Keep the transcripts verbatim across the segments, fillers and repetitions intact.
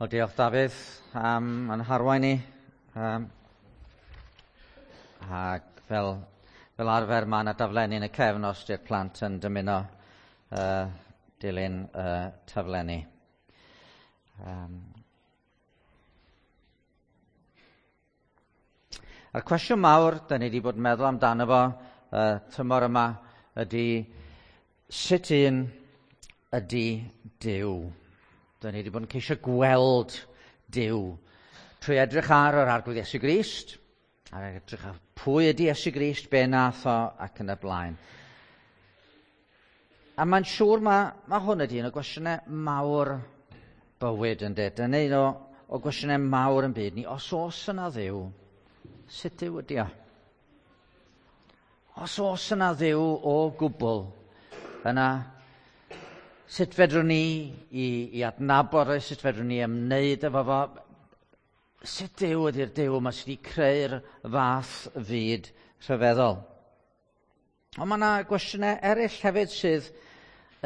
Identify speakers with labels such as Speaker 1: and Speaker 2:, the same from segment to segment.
Speaker 1: Wel, diolch Dafydd am yn harwain ni. Um, ac fel, fel arfer mae yna daflenni yn y cefn os di'r plant yn dymuno uh, dilyn uh, taflenni. Um, a'r cwestiwn mawr da ni wedi bod yn meddwl amdano fo uh, tymor yma ydy sut un ydy Duw? Da ni wedi bod yn ceisio gweld Duw trwy edrych ar yr Arglwydd Iesu Grist, a edrych ar pwy ydy Iesu Grist, be nath o, ac yn y blaen. A mae'n siŵr mae, mae hwn ydy un o gwestiynau mawr bywyd yn dweud. Dyna un o, o gwestiynau mawr yn byd ni. Os oes yna Dduw, sut Duw ydy o? Os oes yna Dduw o gwbl, yna sut fedrwn ni i, i adnabod o, sut fedrwn ni ymwneud efo fo, sut Duw ydy'r Duw yma sydd wedi creu'r fath fyd rhyfeddol? Ond mae yna gwestiynau eraill hefyd sydd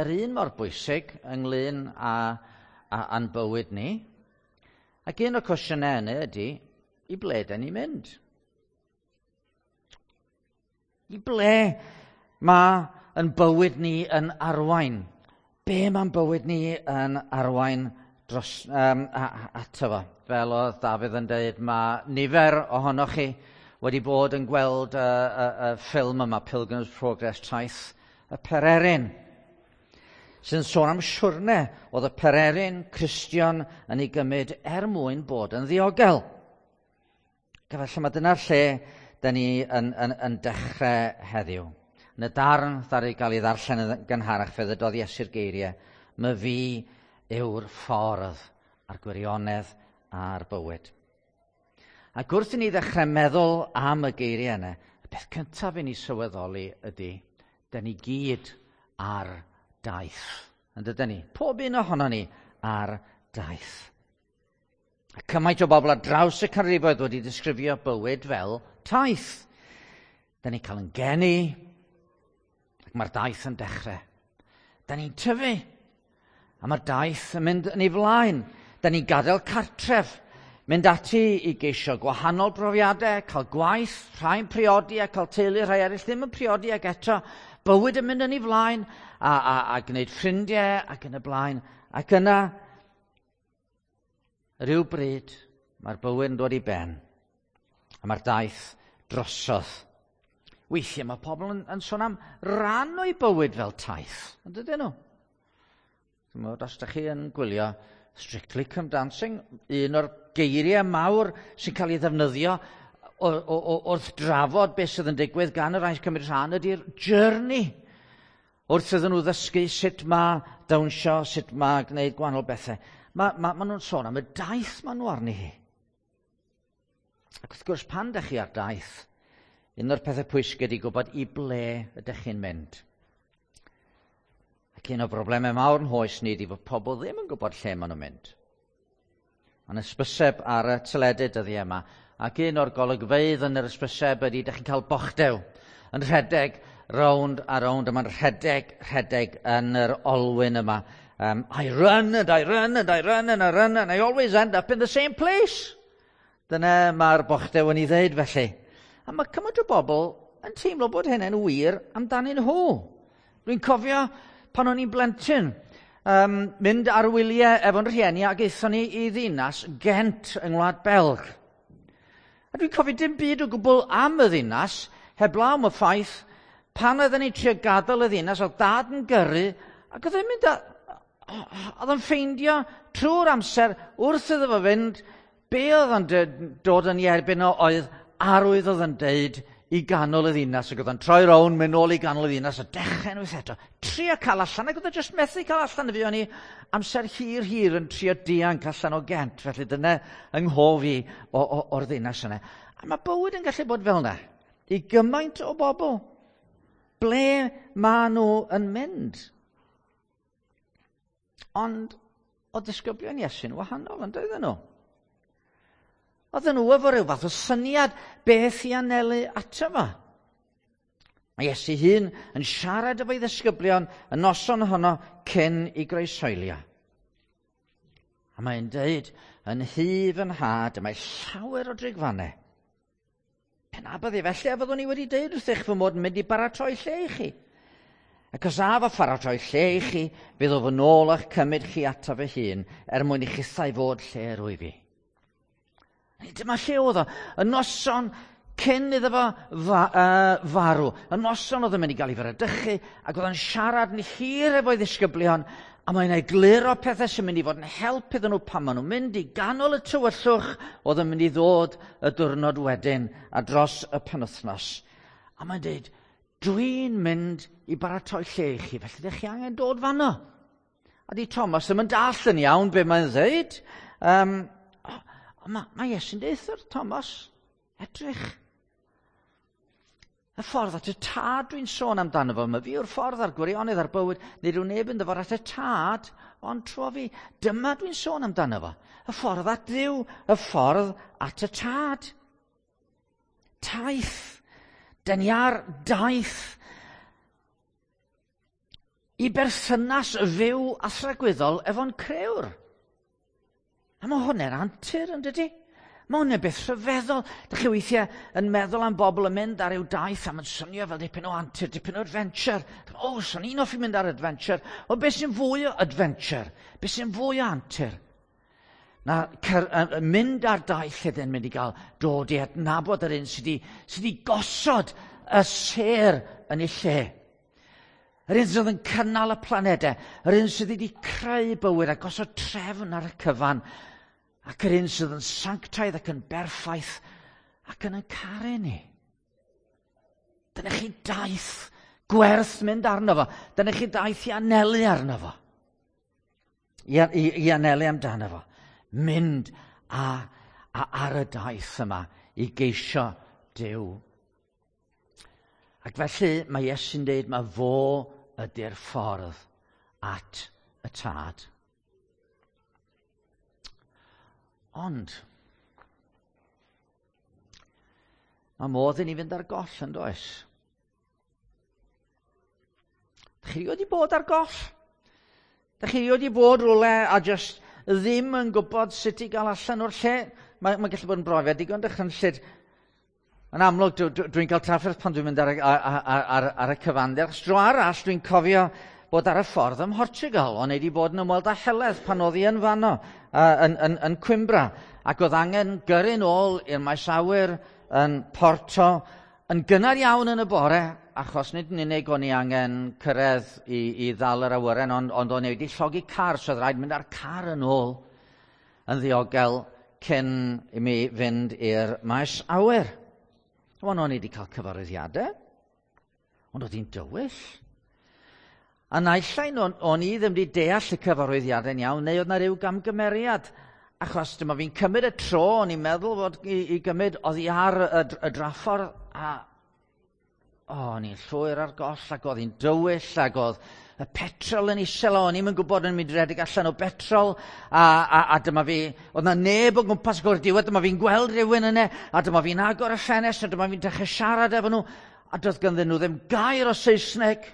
Speaker 1: yr un mor bwysig ynglyn â, â, â'n bywyd ni. Ac un o'r cwestiynau yna ydy, i ble da ni'n mynd? I ble mae yn bywyd ni yn arwain? Be mae'n bywyd ni yn arwain dros, um, ato fo? Fel oedd Dafydd yn dweud, mae nifer ohonoch chi wedi bod yn gweld y, y, y ffilm yma, Pilgrim's Progress, Taith y Pererin, sy'n sôn am siwrne oedd y Pererin Cristion yn ei gymryd er mwyn bod yn ddiogel. Ac efallai mae dyna'r lle da ni yn, yn, yn dechrau heddiw. Yn y darn ddaru gael ei ddarllen yn gynharach, fe ddydodd Iesu'r geiriau, "My fi yw'r ffordd a'r gwirionedd a'r bywyd." Ac wrth i ni ddechrau meddwl am y geiriau yna, y peth cyntaf i ni sylweddoli ydy, da ni gyd ar daith. Yn dydyn ni? Pob un ohono ni ar daith. A cymaint o bobl ar draws y canrifoedd wedi disgrifio bywyd fel taith. Da ni'n cael yn geni, ac mae'r daith yn dechrau. Da ni'n tyfu, a mae'r daith yn mynd yn ei flaen. Da ni'n gadael cartref, mynd ati i geisio gwahanol brofiadau, cael gwaith, rhai'n priodi a cael teulu, rhai eraill ddim yn priodi ac eto bywyd yn mynd yn ei flaen, a, a, a gwneud ffrindiau ac yn y blaen. Ac yna, rhyw bryd, mae'r bywyd yn dod i ben, a mae'r daith drosodd. Weithiau mae pobl yn, yn sôn am ran o'i bywyd fel taith, yn dydyn nhw? Chimod, os ydych chi yn gwylio Strictly Come Dancing, un o'r geiriau mawr sy'n cael ei ddefnyddio o, o, o, wrth drafod beth sydd yn digwydd gan y rhai sy'n cymryd rhan ydy'r journey. Wrth iddyn nhw ddysgu sut mae dawnsio, sut mae gwneud gwahanol bethau. Mae ma, ma nhw'n sôn am y daith maen nhw arni hi. Ac wrth gwrs, pan ydych chi ar daith, un o'r pethau pwysig ydy gwybod i ble ydych chi'n mynd. Ac un o'r broblemau mawr yn hoes ni ydy fod pobl ddim yn gwybod lle maen nhw'n mynd. Mae'n hysbyseb ar y teledu dyddiau yma, ac un o'r golygfeydd yn yr hysbyseb ydy ydych chi'n cael bochdew yn rhedeg rownd a rownd, a mae'n rhedeg, rhedeg yn yr olwyn yma. Um, I run and I run and I run and I run and I always end up in the same place. Dyna mae'r bochdew yn ei ddeud felly. A mae cymaint o bobl yn teimlo bod hynny'n wir amdanyn nhw. Dwi'n cofio pan o'n i'n blentyn, um, mynd ar wyliau efo'n rhieni ac aethon ni i ddinas Gent yng Ngwlad Belg. A dwi'n cofio dim byd o gwbl am y ddinas, heblaw am y ffaith, pan oedden ni'n trio gadael y ddinas, oedd dad yn gyrru, ac oedd e'n mynd a, oedd o'n ffeindio trwy'r amser wrth iddo fo fynd, be oedd o'n dod yn ei erbyn o oedd arwydd oedd yn deud i ganol y ddinas, ac oedd o'n troi rownd, mynd nôl i ganol y ddinas, a dechrau unwaith eto. Trio cael allan, ac oedd o jyst methu cael allan. Fuon ni amser hir hir yn trio dianc allan o Gent, felly dyna yng nghof i o, o, o'r ddinas yna. A mae bywyd yn gallu bod fel yna, i gymaint o bobl. Ble maen nhw yn mynd? Ond o disgyblion Iesu'n wahanol, yn doedden nhw? Oedden nhw efo rhyw fath o syniad beth i anelu ato fo. Mae Iesu hun yn siarad efo'i ddisgyblion y noson honno cyn i groeshoelio. A mae'n deud, yn nhŷ fy nhad, y mae llawer o drigfannau. Pe na bydde felly, a fyddwn i wedi deud wrthych fy mod yn mynd i baratoi lle i chi. Ac os af a pharatoi lle i chi, fydd o fy nôl a'ch cymryd chi ato fy hun, er mwyn i chithau fod lle rwy fi. Dyma lle oedd o. Y noson cyn iddo fo fa, uh, farw. Y noson oedd yn mynd i gael ei fradychu, ac oedd o'n siarad yn hir efo'i ddisgyblion, a mae'n egluro pethau sy'n mynd i fod yn help iddyn nhw pan maen nhw'n mynd i ganol y tywyllwch oedd yn mynd i ddod y diwrnod wedyn a dros y penwythnos. A mae'n dweud, dwi'n mynd i baratoi lle i chi, felly ydych chi angen dod fanno. A di Thomas ddim yn dallt yn iawn be mae'n dweud. Um, mae, mae Iesu'n deud wrth Thomas, edrych. Y ffordd at y tad dwi'n sôn amdano fo. Mae fi yw'r ffordd a'r gwirionedd a'r bywyd. Nid yw neb yn dyfod at y tad, ond trwy fi. Dyma dwi'n sôn amdano fo. Y ffordd at Dduw, y ffordd at y tad. Taith. Dyn ni ar daith i berthynas fyw a thragwyddol efo'n crewr. A mae hwnna'n antur, yn dydy? Mae hwnna'n beth rhyfeddol. Dych chi weithiau yn meddwl am bobl yn mynd ar ryw daith a mae'n swnio fel dipyn o antur, dipyn o adventure. O, oh, swn i'n hoffi mynd ar adventure. Ond beth sy'n fwy o adventure? Beth sy'n fwy o antur? Na cer, uh, mynd ar daith lle dyn mynd i gael dod i adnabod yr un sydd wedi, sydd wedi gosod y sêr yn ei lle. Yr un sydd yn cynnal y planedau, yr un sydd wedi creu bywyd a gosod trefn ar y cyfan, ac yr un sydd yn sanctaidd ac yn berffaith ac yn yn caru ni. Dyna chi daith gwerth mynd arno fo. Dyna chi daith i anelu arno fo. I, i, i anelu amdano fo. Mynd a, a ar y daith yma i geisio Duw. Ac felly mae Iesu'n dweud mae fo ydy'r ffordd at y tad. Ond, mae modd i ni fynd ar goll yn does? Dych chi wedi bod ar goll? Dych chi wedi bod rhywle a just ddim yn gwybod sut i gael allan o'r lle? Mae, mae gallu bod yn brofiad digon dychrynllyd. Yn amlwg, dwi'n dwi, dwi cael trafferth pan dwi'n mynd ar, ar, ar, ar, ar y cyfandir. Achos dro arall, dwi'n cofio bod ar y ffordd ym Mhortugal. O'n i wedi bod yn ymweld â Heledd pan oedd hi yn fanno, uh, yn, yn, yn Coimbra. Ac oedd angen gyrru nôl i'r maes awyr yn Porto yn gynnar iawn yn y bore, achos nid yn unig o'n i angen cyrraedd i, i ddal yr awyren, ond, ond o'n i wedi llogi car, so oedd rhaid mynd â'r car yn ôl yn ddiogel cyn i mi fynd i'r maes awyr. Ond o'n i wedi cael cyfarwyddiadau, ond oedd hi'n dywyll. A naill ai o'n, o'n i ddim wedi deall y cyfarwyddiadau'n iawn, neu oedd na ryw gamgymeriad. Achos dyma fi'n cymryd y tro, o'n i'n meddwl fod i, i gymryd oddi ar y, y draffordd, a o, o'n i'n llwyr ar goll, ac oedd hi'n dywyll, ac oedd y petrol yn isel, o'n i'm yn gwybod yn mynd i redeg allan o betrol, a, a, a dyma fi, oedd na neb o gwmpas o'r diwedd, dyma fi'n gweld rhywun yna, a dyma fi'n agor y ffenest, a dyma fi'n dechrau siarad efo nhw, a doedd ganddyn nhw ddim gair o Saesneg,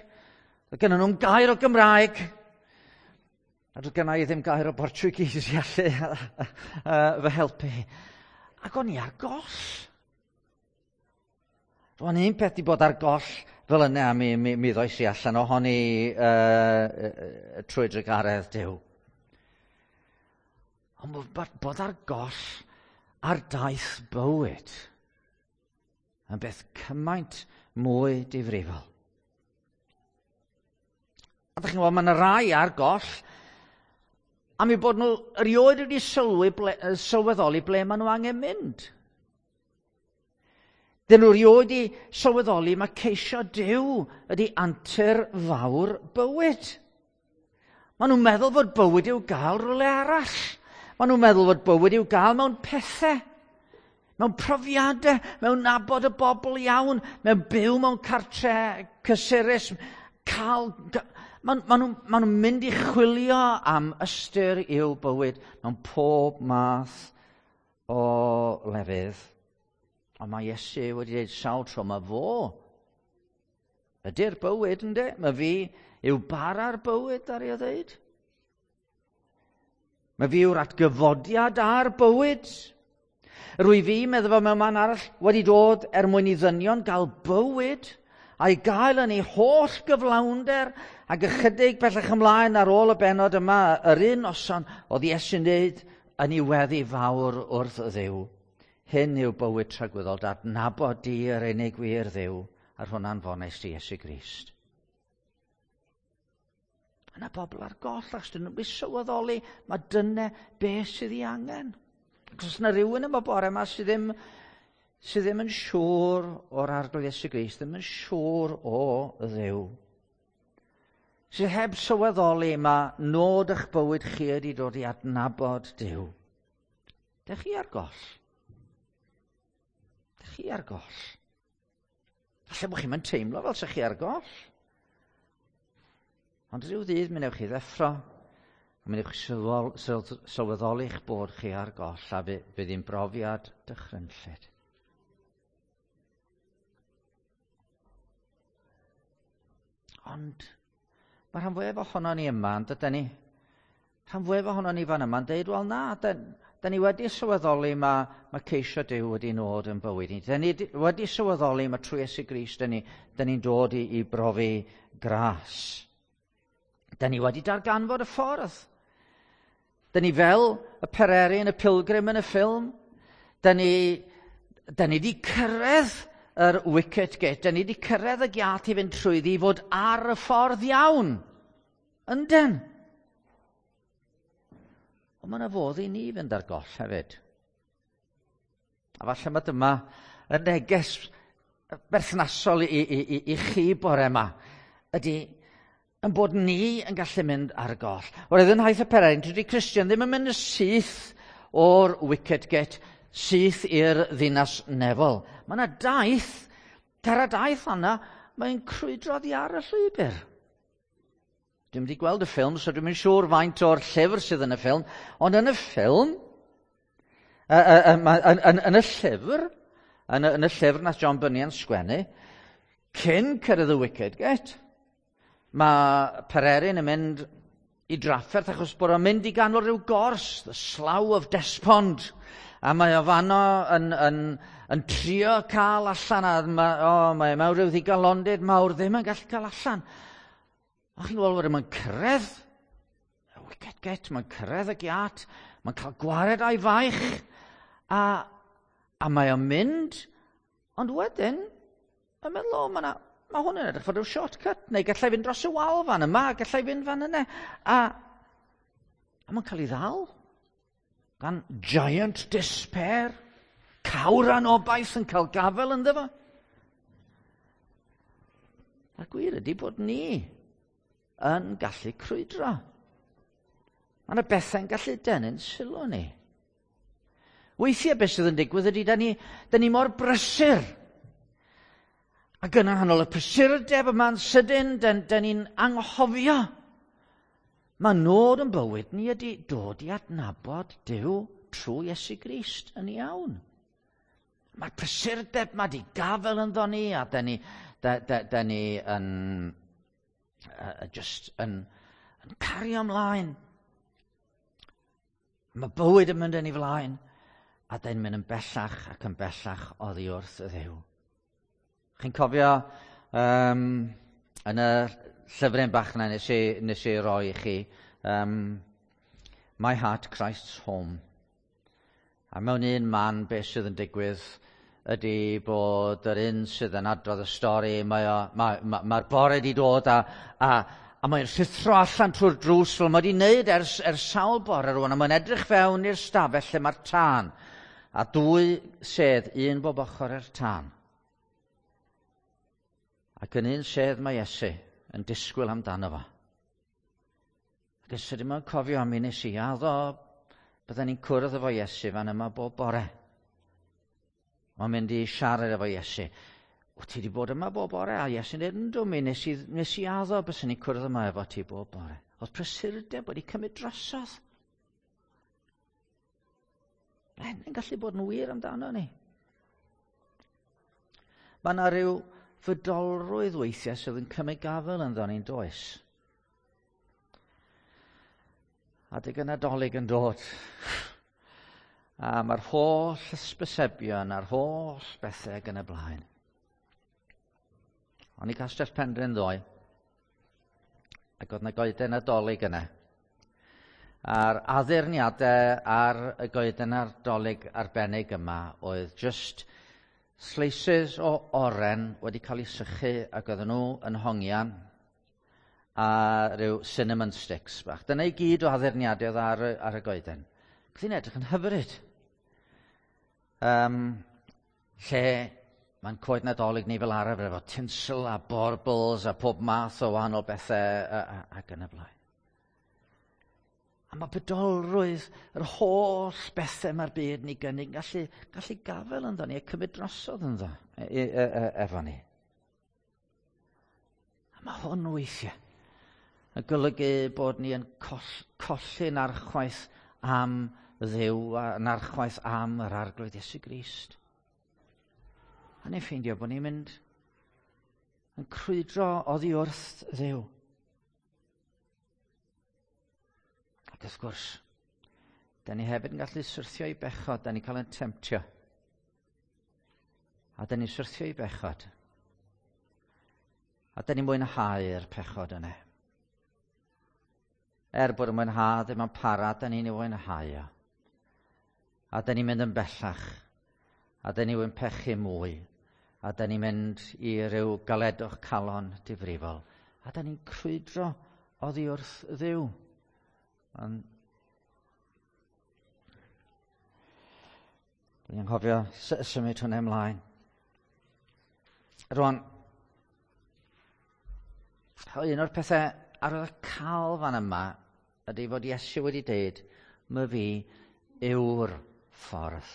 Speaker 1: doedd ganddyn nhw'n gair o Gymraeg, a doedd gynna i ddim gair o Portuguese i allu fy helpu. Ac o'n i ar goll. Roedd un peth i bod ar goll fel yna, a mi, mi, mi ddois i allan ohoni uh, trwy drugaredd Duw. Ond bod ar goll ar daith bywyd yn beth cymaint mwy difrifol. A ddech chi'n gwybod, mae yna rai ar goll am eu bod nhw erioed wedi sylwi ble, sylweddoli ble maen nhw angen mynd. Dyn nhw erioed wedi sylweddoli mae ceisio Duw ydy antur fawr bywyd. Maen nhw'n meddwl fod bywyd i'w gael rhywle arall. Maen nhw'n meddwl fod bywyd i'w gael mewn pethau, mewn profiadau, mewn nabod y bobl iawn, mewn byw mewn cartre cysurus, cael... Maen, maen nhw'n ma nhw mynd i chwilio am ystyr i'w bywyd mewn pob math o lefydd. Ond mae Iesu wedi dweud sawl tro, mae fo ydy'r bywyd, yndê? Mae fi yw bara'r bywyd, ar ei ddeud. Mae fi yw'r atgyfodiad a'r bywyd. Rwy fi, meddwl fo mewn man arall, wedi dod er mwyn i ddynion gael bywyd a'i gael yn ei holl gyflawnder, ac ychydig bellach ymlaen ar ôl y bennod yma, yr un noson oedd Iesu'n dweud yn ei weddi fawr wrth Dduw. Hyn yw bywyd tragwyddol, adnabod di yr unig wir Dduw, a'r hwnna'n fonest i Iesu Grist. Yna bobl ar goll, achos dyn nhw'n sylweddoli, mae dyna beth sydd ei angen. Ac os yna rhywun yma bore yma sydd ddim, sydd ddim yn siŵr o'r Arglwydd Iesu Grist, ddim yn siŵr o Dduw, sydd heb sylweddoli mae nod eich bywyd chi ydi dod i adnabod Duw. Dych chi ar goll? Dych chi ar goll? Falle bod chi'n mynd teimlo fel sa'ch chi ar goll. Ond rhyw ddydd mi wnewch chi ddeffro, a mi wnewch chi sylweddoli'ch bod chi ar goll, a fydd hi'n brofiad dychrynllyd. Ond mae rhan fwyaf ohono ni yma, yn dydyn ni? Rhan fwyaf ohono ni fan yma'n deud, wel na, da ni wedi sylweddoli mae, mae ceisio Duw wedi nod yn bywyd ni. Da ni wedi sylweddoli mae trwy Iesu Grist da ni, da ni'n dod i, i brofi gras. Da ni wedi darganfod y ffordd. Da ni fel y pererin, y pilgrim yn y ffilm. Da ni, da ni wedi cyrraedd yr wicket gate. Da ni wedi cyrraedd y giat i fynd trwyddi i fod ar y ffordd iawn. Ynden. Ond mae yna fodd i ni fynd ar goll hefyd. A falle mae dyma y neges berthnasol i, i, i, i chi bore yma ydy yn bod ni yn gallu mynd ar goll. Oherwydd yn nhaith y pererin, dydy Cristion ddim yn mynd yn syth o'r wicket gate, syth i'r ddinas nefol. Mae yna daith, cer y daith yna, mae'n crwydro oddi ar y llwybr. Dwi'm wedi gweld y ffilm, so dwi'm yn siŵr faint o'r llyfr sydd yn y ffilm, ond yn y ffilm, yn, yn, yn y llyfr, yn y, yn y llyfr nath John Bunyan sgwennu, cyn cyrraedd y wicket gate, mae Pererin yn mynd i drafferth achos bod o'n mynd i ganol rhyw gors, the Slough of Despond, a mae o fanno yn, yn, yn trio cael allan, a mae, oh, mae mewn rhyw ddigalondid mawr ddim yn gallu cael allan. A chi'n gweld wedyn, mae'n cyrraedd y wicket gate, mae'n cyrraedd y giat, mae'n cael gwared a'i faich, a, a mae o'n mynd, ond wedyn, mae'n meddwl, o, mae ma hwn yn edrych fel rhyw shortcut, neu gallai fynd dros y wal fan yma, gallai fynd fan yna. A, a mae'n cael ei ddal gan giant despair, cawr anobaith yn cael gafel ynddo fo. A'r gwir ydy bod ni yn gallu crwydro. Mae yna bethau'n gallu denu'n sylw ni. Weithiau beth sydd yn digwydd ydy, da ni, da ni mor brysur. Ac yn nghanol y prysurdeb yma'n sydyn, da, da ni'n anghofio. Mae nod yn bywyd ni ydy dod i adnabod Duw trwy Iesu Grist yn iawn. Mae'r prysurdeb ma di gafel ynddo ni, a da ni, da, da, da ni yn, uh, just yn, yn cario ymlaen. Mae bywyd yn mynd yn ei flaen, a da ni'n mynd yn bellach ac yn bellach oddi wrth y Dduw. Chi'n cofio um, yn y llyfryn bach yna nes i, nes i roi i chi, um, My Heart, Christ's Home. A mewn un man beth sydd yn digwydd ydy bod yr un sydd yn adrodd y stori, mae'r mae, mae, mae bore wedi dod a, a, a mae'n rhuthro allan trwy'r drws fel mae wedi wneud ers, ers sawl bore rwan, a mae'n edrych fewn i'r stafell lle mae'r tân, a dwy sedd, un bob ochr i'r tân. Ac yn un sedd mae Iesu yn disgwyl amdano fo. Ac yn sydyn mae'n cofio am un nes i addo bydden ni'n cwrdd efo Iesu fan yma bob bore. Mae'n mynd i siarad efo Iesu. Wyt ti wedi bod yma bob bore? A Iesu'n dweud, yndw mi, nes i, nes i addo byswn ni'n cwrdd yma efo ti bob bore. Oedd prysurdeb wedi cymryd drosodd. Mae hyn yn gallu bod yn wir amdano ni. Mae yna rhyw fydolrwydd weithiau sydd yn cymryd gafel ynddo ni'n does. Adeg y Nadolig yn dod. A mae'r holl hysbysebion a'r holl bethau ac yn y blaen. O'n i Castell Penrhyn ddoe, ac oedd 'na goeden Nadolig yna. A'r addurniadau ar y goeden Nadolig arbennig yma oedd just slices o oren wedi cael eu sychu ac oedden nhw yn hongian a rhyw cinnamon sticks bach. Dyna i gyd o addurniadau oedd ar, ar y goeden. Oedd hi'n edrych yn hyfryd. Um, lle mae'n coed Nadolig ni fel arfer efo tinsel a baubles a pob math o wahanol bethau ac yn y blaen. A mae bydolrwydd yr holl bethau mae'r byd ni gynnig yn gallu, gallu gafel ynddo ni a cymryd drosodd ynddo e, e, e, efo ni. A mae hwn weithiau yn golygu bod ni yn coll, colli'n archwaith am Dduw a'n archwaith am yr Arglwydd Iesu Grist. A ni'n ffeindio bod ni'n mynd yn crwydro oddi wrth Dduw. Ac wrth gwrs, da ni hefyd yn gallu syrthio i bechod, da ni'n cael ein temtio. A da ni'n syrthio i bechod. A da ni'n mwynhau'r pechod yna. Er bod y mwynhad ddim yn para, da ni'n ei fwynhau o. A da ni'n mynd yn bellach. A da ni'n pechu mwy. A da ni'n mynd i ryw galedwch calon difrifol. A da ni'n crwydro oddi wrth Dduw. Ond dwi'n anghofio symud hwnna ymlaen. Rwan, un o'r pethau ar y cael fan yma ydy fod Iesu wedi deud, my fi yw'r ffordd.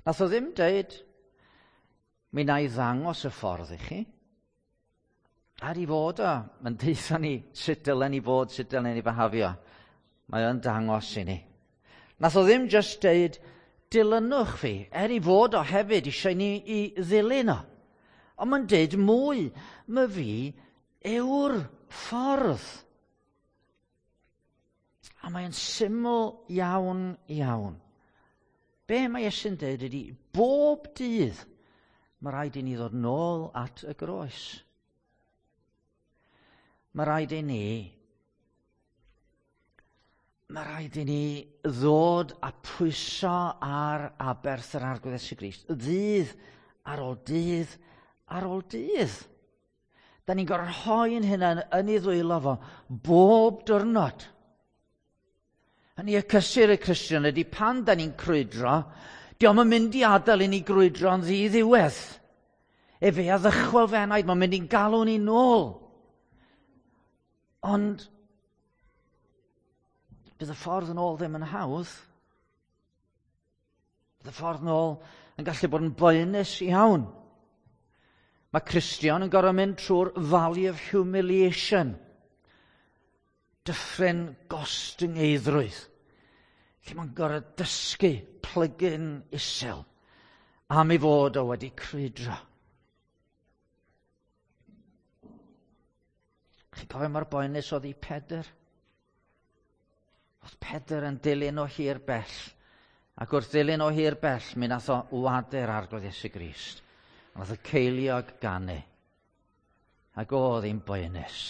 Speaker 1: Nath o ddim deud, mi na i ddangos y ffordd i chi. Ar i fod o, mae'n deutha ni sut dylen ni fod, sut dylen ni behafio. Mae o'n dangos i ni. Nath o ddim just deud, dilynwch fi, er i fod o hefyd eisiau ni i ddilyn o. Ond mae'n deud mwy, my fi yw'r ffordd. A mae'n syml iawn, iawn. Be mae Iesu'n deud ydy, bob dydd mae rhaid i ni ddod nôl at y groes. Mae rhaid i ni, mae rhaid i ni ddod a pwyso ar aberth yr Arglwydd Iesu Grist. Ddydd ar ôl dydd ar ôl dydd. Da ni'n gorfod rhoi'n hunain yn ei ddwylo fo bob diwrnod. Hynny y cysur y Cristion ydy pan da ni'n crwydro, dio'm yn mynd i adael i ni grwydro'n ddiddiwedd. Efe a ddychwel fe enaid, mae'n mynd i'n galw ni nôl. Ond bydd y ffordd yn ôl ddim yn hawdd. Bydd y ffordd yn ôl yn gallu bod yn boenus iawn. Mae Cristion yn gorfod mynd trwy'r Valley of Humiliation. Dyffryn gostyngeiddrwydd. Lle mae'n gorfod dysgu plygu'n isel am ei fod o wedi crwydro. Chi'n cofio mor boenus oedd i Pedr? Oedd Pedr yn dilyn o hir bell. Ac wrth ddilyn o hir bell, mi nath o wadu'r Arglwydd Iesu Grist. Nath y ceiliog ganu. Ac oedd hi'n boenus.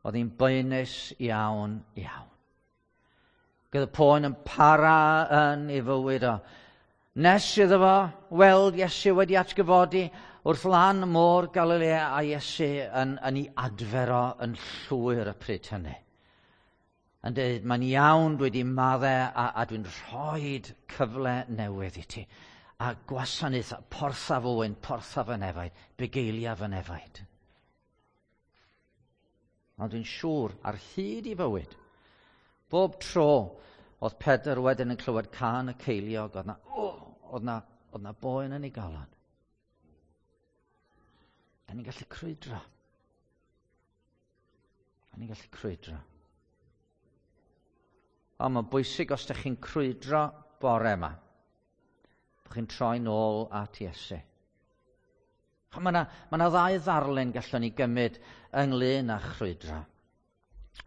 Speaker 1: Oedd hi'n boenus iawn, iawn. Gyda poen yn para yn ei fywyd o. Nes iddo fo weld Iesu wedi atgyfodi wrth lan môr Galilea a Iesu yn, yn ei adfer o yn llwyr y pryd hynny. Yn dweud, mae'n iawn, dwi wedi maddau a, a dwi'n rhoi cyfle newydd i ti. A gwasanaeth, portha fywyn, portha fy nefaid, bugeilia fy nefaid. Ond dwi'n siŵr, ar hyd i fywyd, bob tro oedd Pedr wedyn yn clywed cân y ceiliog, oedd na, oh, oedd na, oedd na boen yn ei galon. Da ni'n gallu crwydro. Da ni'n gallu crwydro. Ond mae'n bwysig os ydych chi'n crwydro bore yma, bod chi'n troi nôl at Iesu. Mae yna, ma yna ddau ddarlun gallwn ni gymryd ynglyn â chrwydro.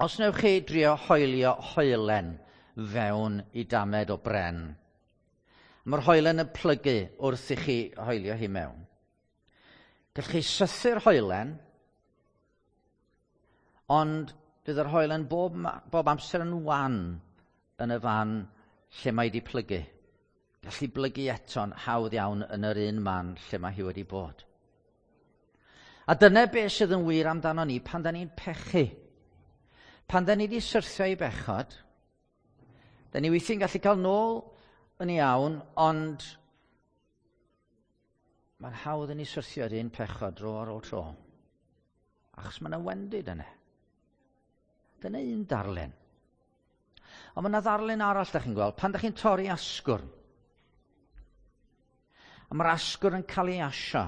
Speaker 1: Os newch chi drio hoelio hoelen fewn i damed o bren, mae'r hoelen yn plygu wrth i chi hoelio hi mewn. Gallwch chi sythu'r hoelen, ond bydd yr hoelen bob, bob amser yn wan yn y fan lle mae wedi plygu. Gallu blygu eto'n hawdd iawn yn yr un man lle mae hi wedi bod. A dyna beth sydd yn wir amdano ni pan da ni'n pechu. Pan da ni wedi syrthio i bechod, da ni weithiau'n gallu cael nôl yn iawn, ond mae'n hawdd i ni syrthio i'r un pechod dro ar ôl tro. Achos mae yna wendid yna. Dyna un darlun. Ond mae yna ddarlun arall, da chi'n gweld, pan da chi'n torri asgwrn. A mae'r asgwrn yn cael ei asio.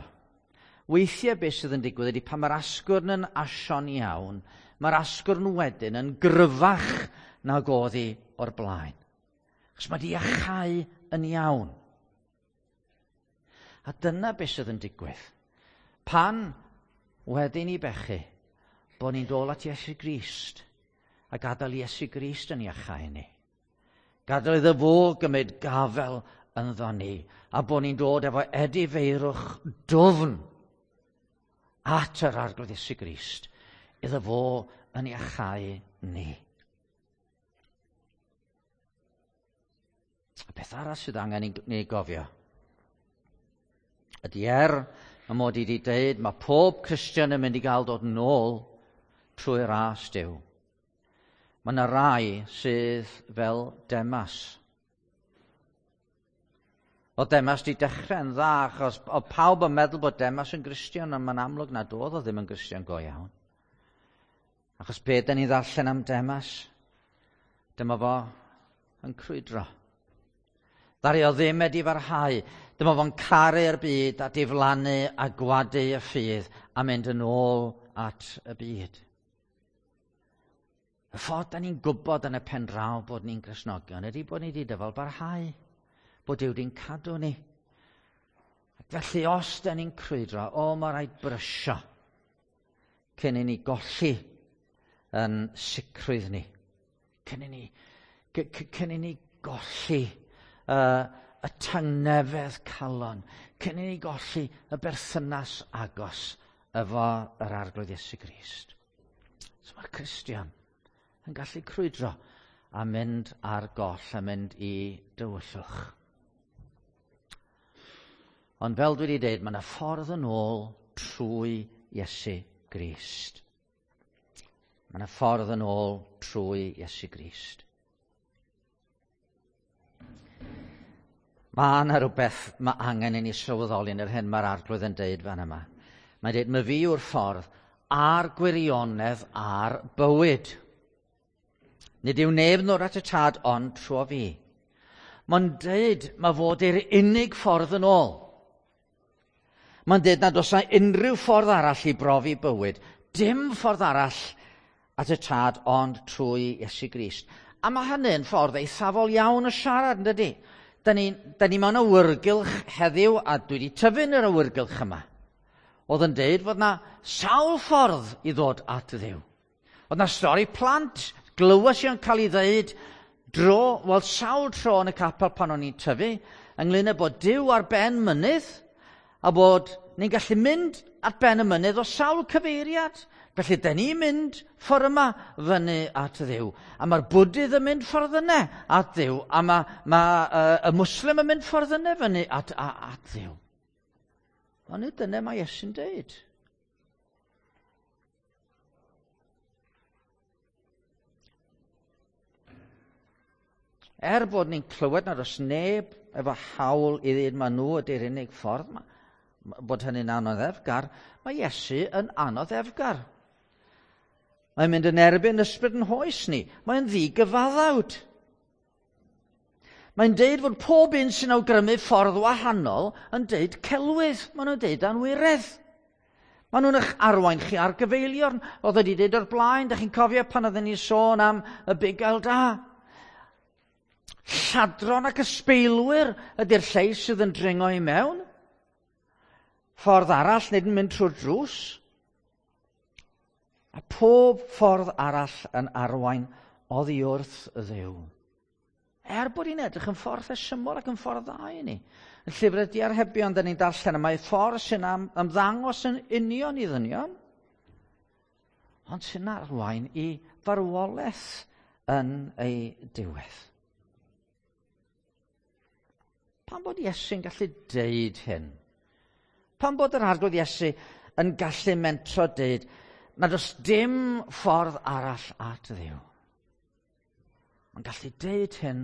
Speaker 1: Weithiau beth sydd yn digwydd ydy pan mae'r asgwrn yn asio'n iawn, mae'r asgwrn wedyn yn gryfach nag oedd hi o'r blaen. Achos mae di iachau yn iawn. A dyna beth sydd yn digwydd. Pan wedyn i bechu, bod ni'n dod at Iesu Grist a gadael Iesu Grist yn iachau ni. Gadael iddo fo gymryd gafel ynddo ni, a bod ni'n dod efo edifeirwch dwfn at yr Arglwydd Iesu Grist, iddo fo yn iachau ni. A peth arall sydd angen i ni gofio ydy er y mod i wedi dweud mae pob Cristion yn mynd i gael dod nôl trwy ras Duw. Mae yna rai sydd fel Demas. Oedd Demas wedi dechrau'n dda, achos oedd pawb yn meddwl bod Demas yn Gristion, ond mae'n amlwg nad oedd o ddim yn Gristion go iawn. Achos be da ni ddarllen am Demas? Dyma fo yn crwydro. Ddaru o ddim wedi farhau. Dyma fo'n caru'r byd a diflannu a gwadu y ffydd a mynd yn ôl at y byd. Y ffordd da ni'n gwybod yn y pen draw bod ni'n Gristnogion ydy bod ni wedi dyfal barhau, bod Duw wedi'n cadw ni. Ac felly os da ni'n crwydro, o, mae rhaid brysio cyn i ni golli yn sicrwydd ni. Cyn i ni, cyn i ni golli uh, y tangnefedd calon, cyn i ni golli y berthynas agos efo yr Arglwydd Iesu Grist. So mae'r Cristion yn gallu crwydro a mynd ar goll a mynd i dywyllwch. Ond fel dwi wedi dweud, mae yna ffordd yn ôl trwy Iesu Grist. Mae yna ffordd yn ôl trwy Iesu Grist. Mae yna rhywbeth mae angen i ni sylweddoli yn yr hyn mae'r Arglwydd yn deud fan yma. Mae'n deud, mae fi yw'r ffordd a'r gwirionedd a'r bywyd. Nid yw neb yn dod at y tad ond trwy fi. Mae'n deud mae fod i'r unig ffordd yn ôl. Mae'n deud nad oes unrhyw ffordd arall i brofi bywyd. Dim ffordd arall at y tad ond trwy Iesu Grist. A mae hynny'n ffordd eithafol iawn o siarad, yn dydy? Da ni, da ni mewn awyrgylch heddiw, a dwi wedi tyfu yn yr awyrgylch yma. Oedd yn deud fod na sawl ffordd i ddod at Dduw. Oedd na stori plant, glywes i o'n cael ei ddeud dro, wel sawl tro yn y capel pan o'n i'n tyfu, ynglyn â bod Duw ar ben mynydd, a bod ni'n gallu mynd at ben y mynydd o sawl cyfeiriad. Felly, da ni'n mynd ffordd yma fyny at Dduw. A mae'r Bwdydd yn mynd ffordd yna at Dduw. A mae, mae uh, y Mwslim yn mynd ffordd yna fyny at, a, at Dduw. Ond nid dyna mae Iesu'n deud. Er bod ni'n clywed nad oes neb efo hawl i ddweud ma nhw ydy'r unig ffordd, ma, bod hynny'n anoddefgar, mae Iesu yn anoddefgar. Mae'n mynd yn erbyn ysbryd yn hoes ni. Mae'n ddigyfaddawd. Mae'n deud fod pob un sy'n awgrymu ffordd wahanol yn deud celwydd. Maen nhw'n deud anwiredd. Maen nhw'n eich arwain chi ar gyfeiliorn. Oedd wedi deud o'r blaen, da chi'n cofio pan oedden ni'n sôn am y bugail da. Lladron ac ysbeilwyr ydy'r lleill sydd yn dringo i mewn. Ffordd arall, nid yn mynd trwy'r drws. A pob ffordd arall yn arwain oddi wrth Dduw. Er bod hi'n edrych yn ffordd rhesymol ac yn ffordd dda i ni. Yn llyfr y Diarhebion, da ni'n darllen, y mae ffordd sy'n ymddangos yn union i ddynion, ond sy'n arwain i farwolaeth yn ei diwedd. Pam bod Iesu'n gallu deud hyn? Pam bod yr Arglwydd Iesu yn gallu mentro deud nad oes dim ffordd arall at Dduw? Mae'n gallu deud hyn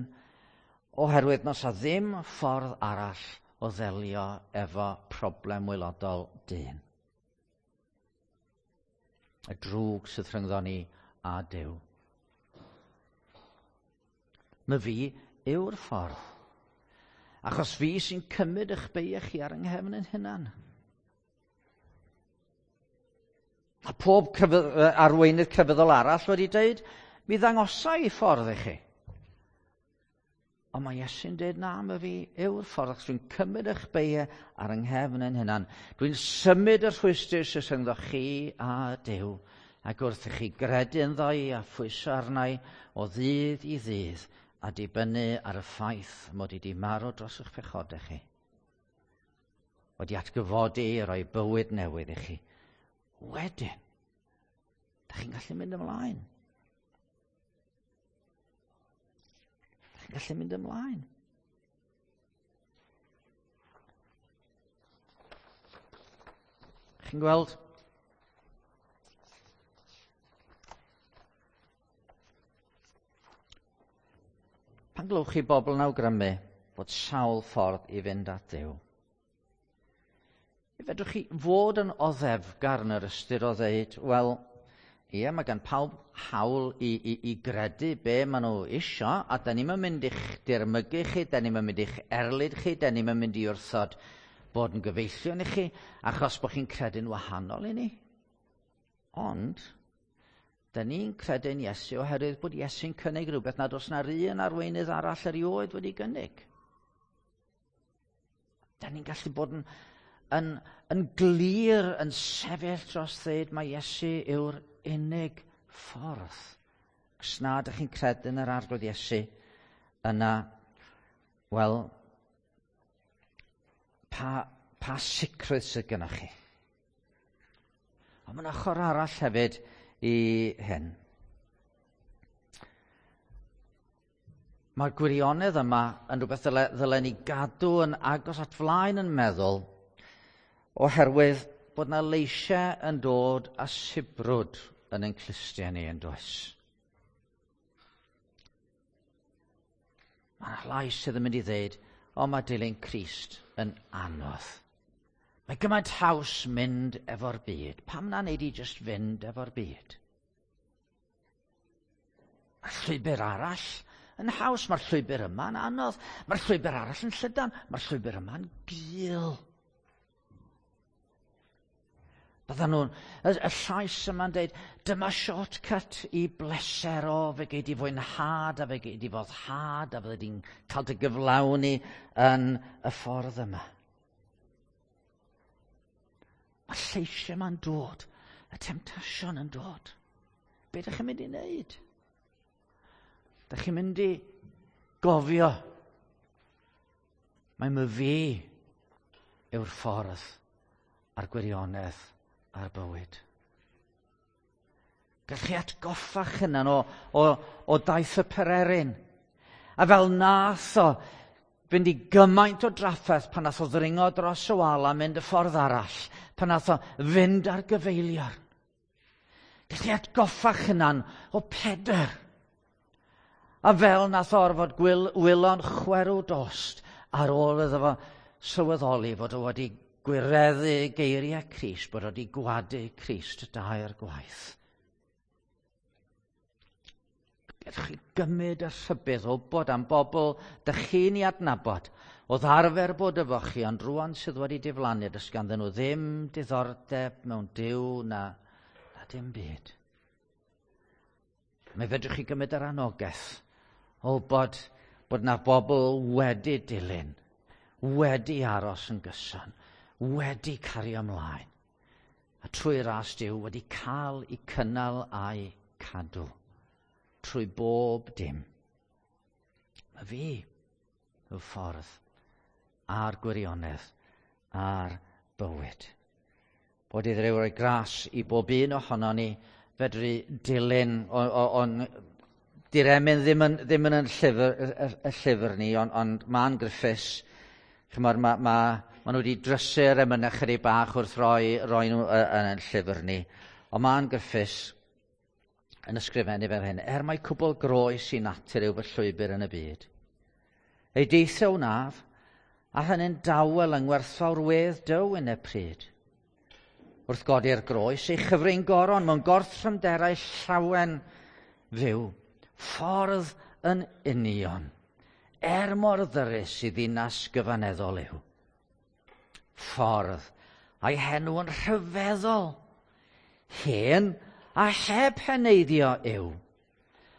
Speaker 1: oherwydd nos a ddim ffordd arall o ddelio efo problem waelodol dyn. Y drwg sydd rhyngddo ni a Duw. My fi yw'r ffordd. Achos fi sy'n cymryd eich beiau chi ar yng nghefn yn hunan. A pob crefydd, arweinydd crefyddol arall wedi dweud, mi ddangosa i ffordd i chi. Ond mae Iesu'n dweud, na, my fi yw'r ffordd, achos dwi'n cymryd eich beiau ar yng nghefn yn hunan. Dwi'n symud y rhwystr sydd rhyngddo chi a Duw, ac wrth i chi gredu ynddo i a phwyso arna i o ddydd i ddydd, a dibynnu ar y ffaith mod i di marw dros eich pechodau chi. Wedi atgyfodi i roi bywyd newydd i chi. Wedyn, da chi'n gallu mynd ymlaen. Da chi'n gallu mynd ymlaen. Chi'n gweld? Pan glywch chi bobl yn awgrymu bod sawl ffordd i fynd at Dduw, fedrwch chi fod yn oddefgar yn yr ystyr o ddeud, wel, ie, mae gan pawb hawl i, i, i gredu be maen nhw isio, a da ni'm yn mynd i'ch dirmygu chi, da ni'm yn mynd i'ch erlid chi, da ni'm yn mynd i wrthod bod yn gyfeillion i chi, achos bod chi'n credu'n wahanol i ni. Ond, da ni'n credu'n Iesu oherwydd bod Iesu'n cynnig rhywbeth nad oes na'r un arweinydd arall erioed wedi gynnig. Da ni'n gallu bod yn, yn, yn glir yn sefyll dros ddeud mae Iesu yw'r unig ffordd. Os na ydych chi'n credu yn yr Arglwydd Iesu, yna, wel, pa, pa sicrwydd sydd gennych chi? Ond mae'n ochr arall hefyd i hyn. Mae'r gwirionedd yma yn rhywbeth ddyle, ddyle ni gadw yn agos at flaen yn meddwl, oherwydd bod na leisiau yn dod a sibrwd yn ein clustiau ni yn does. Mae yna lais sydd yn mynd i ddeud, o, mae dilyn Crist yn anodd. Mae gymaint haws mynd efo'r byd. Pam na wneud i jyst fynd efo'r byd? Mae'r llwybr arall yn haws. Mae'r llwybr yma'n anodd. Mae'r llwybr arall yn llydan. Mae'r llwybr yma'n gul. Byddan nhw'n, y, y llais yma'n dweud, dyma shortcut i bleser o, fe gei di fwynhad a fe gei di foddhad a fyddi di'n cael dy gyflawni yn y ffordd yma. Mae'r lleisiau yma'n dod, y temtasiwn yn dod. Be ydych chi'n mynd i wneud? Ydych chi'n mynd i gofio mai my fi yw'r ffordd a'r gwirionedd a'r bywyd. Gallwch chi atgoffa'ch hunan o, o, o daith y pererin. A fel nath o fynd i gymaint o drafferth pan nath o ddringo dros y wal a mynd y ffordd arall, pan nath o fynd ar gyfeiliorn. Gallwch chi atgoffa'ch hunan o Pedr. A fel nath o orfod gwyl, wylo'n chwerw dost ar ôl iddo fo sylweddoli fod o wedi gwireddu geiriau Crist, bod o wedi gwadu Crist dair gwaith. Gallwch chi gymryd y rhybudd o bod am bobl dych chi'n ei adnabod, oedd arfer bod efo chi, ond rwan sydd wedi diflannu, does ganddyn nhw ddim diddordeb mewn Duw na, na dim byd. Mae fedrwch chi gymryd yr anogaeth o bod, bod na bobl wedi dilyn, wedi aros yn gyson, wedi cario ymlaen, A trwy ras Duw wedi cael eu cynnal a'i cadw trwy bob dim. Mae fi y ffordd a'r gwirionedd a'r bywyd. Bod i Dduw roi gras i bob un ohono ni fedru dilyn, o'n di'r emyn ddim yn, ddim yn, yn llyfr, y, y llyfr ni, ond on, Ma'n Griffiths, chymod, ma, ma, ma nhw wedi drysu'r emynau chydig bach wrth roi, roi nhw yn y llyfr ni. Ond Ma'n Griffiths yn ysgrifennu fel hyn, er mai cwbl groes i natur yw fy llwybr yn y byd. Ei deithio wnaf, a hynny'n dawel yng ngwerthfawr wedd Duw yn y pryd. Wrth godi'r groes, ei chyfrin goron mewn gorthrymderau llawen fyw, ffordd yn union, er mor ddyrus i ddinas gyfaneddol yw. Ffordd, a'i henw yn rhyfeddol, hen a heb heneiddio yw.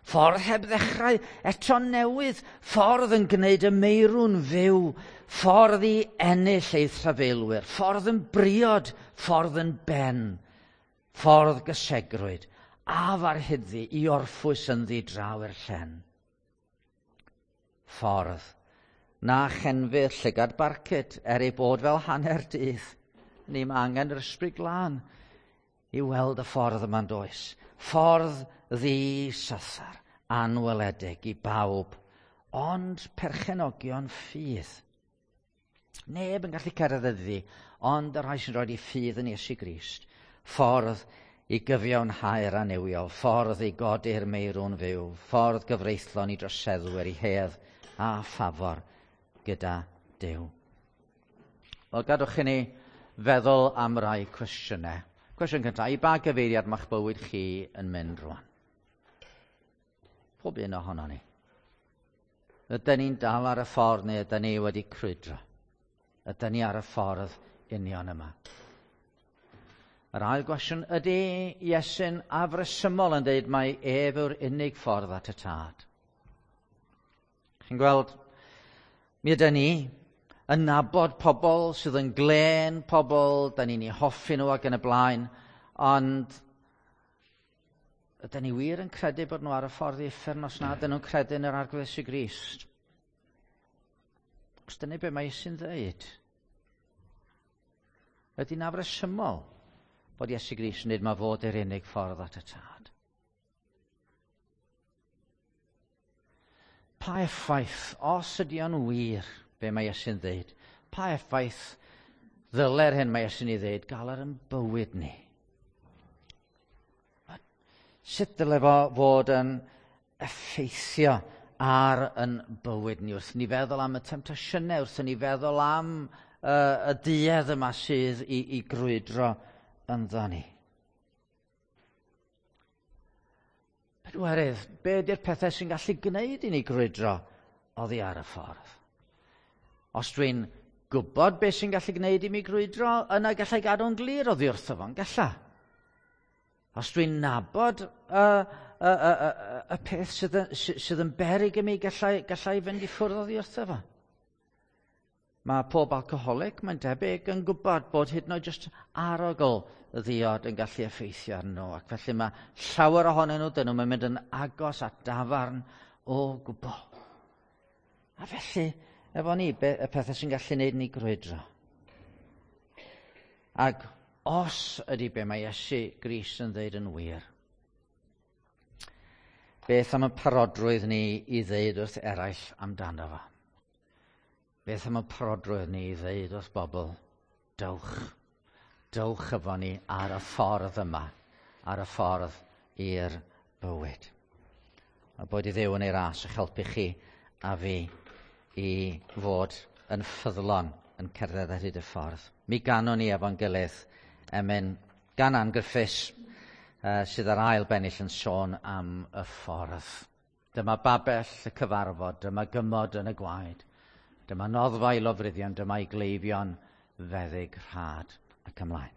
Speaker 1: Ffordd heb ddechrau eto newydd, ffordd yn gwneud y meirw'n fyw, ffordd i ennill ei thrafeilwyr, ffordd yn briod, ffordd yn ben, ffordd gysegrwyd, a farhyddi i orffwys ynddi draw i'r llen. Ffordd na chenfydd llygad barcud er ei bod fel hanner dydd. Ni mae angen yr ysbryd glân i weld y ffordd yma'n does. Ffordd ddi-sasar, anweledig i bawb, ond perchenogion ffydd. Neb yn gallu cerdded iddi, ond y rhai sy'n rhoi ffydd yn Iesu Grist. Ffordd i gyfiawnhau'r annuwiol, ffordd i godi'r meirw'n fyw, ffordd gyfreithlon i droseddwyr i hedd a ffafor gyda Duw. Wel, gadwch i ni feddwl am rai cwestiynau. Cwestiwn cyntaf, i ba gyfeiriad ma'ch bywyd chi yn mynd rwan? Pob un ohono ni. Ydyn ni'n dal ar y ffordd neu ydyn ni wedi crwydro? Ydyn ni ar y ffordd union yma? Yr ail gwestiwn, ydy Iesu'n afresymol yn dweud mai ef yw'r unig ffordd at y Tad? Chi'n gweld, mi ydyn ni yn nabod pobl sydd yn glên pobl, da ni'n eu hoffi nhw ac yn y blaen, ond ydyn ni wir yn credu bod nhw ar y ffordd i uffern os nad ydyn nhw'n credu yn yr Arglwydd Iesu Grist? Os dyna be mae Iesu'n dweud. Ydy'n afresymol bod Iesu Grist yn dweud mae fod yr unig ffordd at y Tad? Pa effaith, os ydy o'n wir, be mae Iesu'n dweud, pa effaith ddyle'r hyn mae Iesu'n ei dweud gael ar yn bywyd ni? Sut dyle fo fod yn effeithio ar yn bywyd ni wrth ni feddwl am y temtasiynau, wrth ni feddwl am uh, y duedd yma sydd i, i grwydro ynddo ni? Pedwerydd, be ydy'r pethau sy'n gallu gwneud i ni grwydro oddi ar y ffordd? Os dwi'n gwybod beth sy'n gallu gwneud i mi grwydro, yna gallai gadw'n glir oddi wrtho fo'n galla. Os dwi'n nabod y, y, y, y, y peth sydd yn, sydd yn beryg i mi, gallai, gallai fynd i ffwrdd oddi wrtho fo. Mae pob alcoholic, mae'n debyg, yn gwybod bod hyd yn oed jyst arogl y ddiod yn gallu effeithio arnyn nhw. Ac felly mae llawer ohonyn nhw, dyn nhw'n mynd yn agos at dafarn o gwbl. A felly, efo ni, be, y pethau sy'n gallu gwneud ni grwydro. Ac os ydy be mae Iesu Grist yn dweud yn wir, beth am y parodrwydd ni i ddeud wrth eraill amdano fo? Beth am y parodrwydd ni i ddeud wrth bobl, dewch, dewch efo ni ar y ffordd yma, ar y ffordd i'r bywyd. A boed i Dduw yn ei ras eich helpu chi a fi i fod yn ffyddlon yn cerdded ar hyd y ffordd. Mi ganwn ni efo'n gilydd emyn gan Ann Griffiths, uh, sydd ar ail bennill yn sôn am y ffordd. Dyma babell y cyfarfod, dyma gymod yn y gwaed, dyma noddfa i lofruddion, dyma i gleifion feddyg rhad ac ymlaen.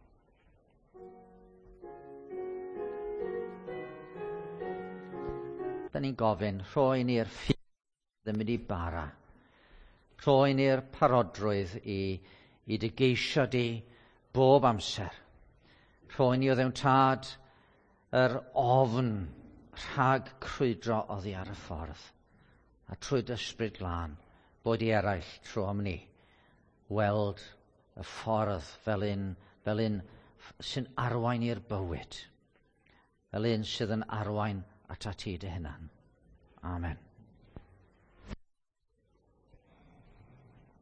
Speaker 1: Da ni'n gofyn, rhoi ni'r ffydd yn mynd i bara. Rhoi ni'r parodrwydd i, i dy geisio di bob amser. Rhoi ni o ddewn tad yr ofn rhag crwydro oddi ar y ffordd. A trwy dy ysbryd glân, bod i eraill trwy am ni weld y ffordd fel un, fel un sy'n arwain i'r bywyd. Fel un sydd yn arwain at ti dy hunan. Amen.